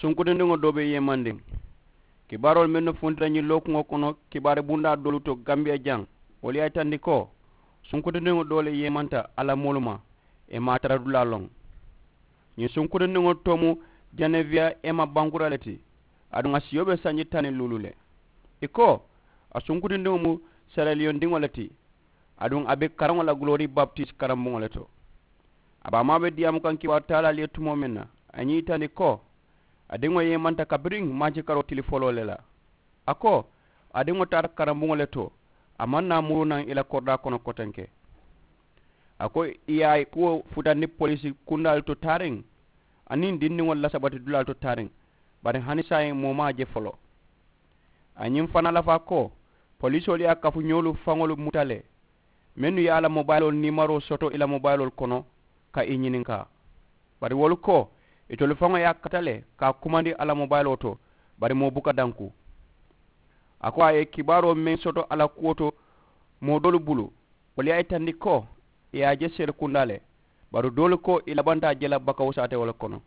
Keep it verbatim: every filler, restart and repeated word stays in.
Sunkutundiŋo doo be yeemandiŋ. Kibaaroolu mennu funtita ñiŋ lookuŋo kono kibaari bundaa doolu to gambiya jaŋ, wolu ye a yitandi ko sunkutundiŋo doo le yeemanta alla moolu ma. Ì maŋ a tara dulaa loŋ. Ñiŋ sunkutundiŋo too mu janeviya emma bankura le ti. Aduŋ a siyo be sanji taŋ niŋ luulu le. Ì ko a sunkutundiŋo mu sereliyondiŋo le ti. Aduŋ a be karaŋo la gulori baptisi karambuŋo le to. A baamaa be diyaamu kaŋ kibaaru taalaalu ye tumoo meŋ na, a ye ñiŋ yitandi ko a diŋo yeemanta kabiriŋ maanci karoo tili foloo le la. A ko a diŋo taata karambuŋo le to. A maŋ naa muruu naŋ i la koridaa kono kotenke. A ko ì ye a kuwo futandi poliisi kundaalu to taariŋ aniŋ dindiŋolu la sabati dulaalu to taariŋ. Bari hani saayiŋ moo maŋ a je foloo. A ye ñiŋ fanaa lafaa ko poliisoolu ye a kafuñoolu faŋolu muta le, mennu ye a la mobayiloolu niimaroo soto i la mobayiloolu kono ka i ñininkaa. Bari wolu ko itolu faŋo ye a kata le ka a kumandi a la mobayiloo to, bari moo buka danku. A ko a ye kibaaroo meŋ soto a la kuwo to moo doolu bulu, wolu ye a yitandi ko ì ye a je seerekundaa le. Bari doolu ko ì labanta a je la bakawu saatewo le kono.